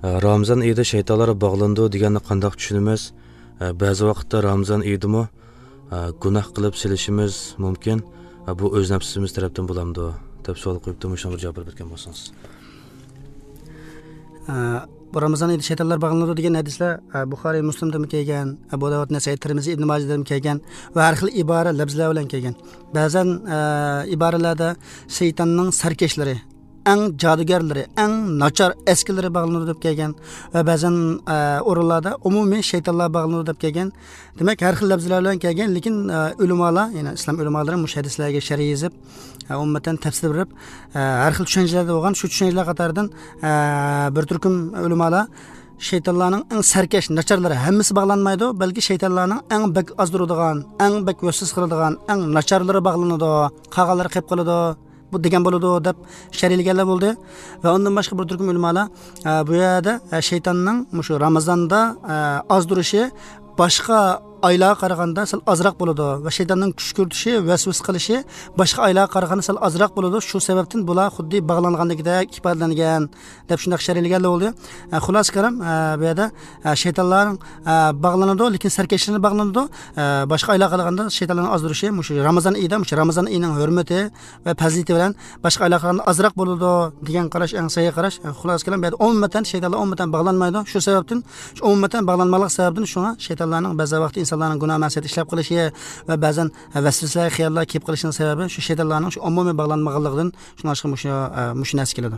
Ramazon oyida shaytonlar bog'landi deganni qandoq tushunamiz? Ba'zi vaqtda Ramazon oyidami gunoh qilib silishimiz mumkin. Bu o'z nafsimiz tarafdan bo'lamdi deb savol qo'yibdi. Shunga bir javob berib o'tgan bo'lsangiz. Bu Ramazon oyida shaytonlar bog'lanadi degan hadislar Buxoriy, Muslimda kelgan, Abu Davud, Nasai, Termiziy, Ibn Majahda kelgan va har xil ibora lafzlar bilan kelgan. Ba'zan iboralarda shaytonning sarkashlari, eng jodugarlari, eng nachar eskilari bog'lanadi deb kelgan va ba'zan o'rinlarda umumiy shaytonlar bog'lanadi deb kelgan. Demak, har xil lafzlar bilan kelgan, lekin ulamolar, ya'ni islom ulamolari mush hadislarga sharh yozib, ummatan tafsir berib, har xil tushunchalarda bo'lgan. Shu tushunchalar qatoridan bir turkum ulamolar shaytonlarning eng sarkash nacharlari hammasi bog'lanmaydi, balki shaytonlarning eng bak ozdiradigan, eng bak vasvasa qiladigan, eng nacharlari bog'lanadi, qag'anlari qilib qoladi bu degan bo'ladi deb sharhlaganlar bo'ldi. Va undan boshqa bir turkum ulamolar bu yerda shaytonning shu Ramazonda ozdirishi boshqa oylarga qaraganda sal ozroq bo'ladi va shaytonning kuch kiritishi, vasvasa qilishi boshqa oylarga qaraganda sal ozroq bo'ladi. Shu sababdan bular xuddi bog'langanligidek ifodalangan deb shunday sharhlaganlar bo'ldi. Xulosa kalam, bu yerda shaytonlar bog'lanadi, lekin sarkashlarni bog'lanadi. Boshqa oylarga qaraganda shaytonlarning ozdirishi shu Ramazon oyida, shu Ramazon oyining hurmati va fazilati bilan boshqa oylarga qaraganda ozroq bo'ladi degan qarash eng sahih qarash. Xulosa kalam, bu yerda umuman shaytonlar umuman bog'lanmaydi. Shu sababdan, shu umuman bog'lanmalik sababidan shunga shaytonlarning ba'zi vaqt insonlarning gunoh ma'siyat ishlab qilishi va ba'zan vasvasalar, xiyollar kelib qolishining sababi shu shaytonlarning shu umumiy bog'lanmaganligidan shunga shu narsa keladi.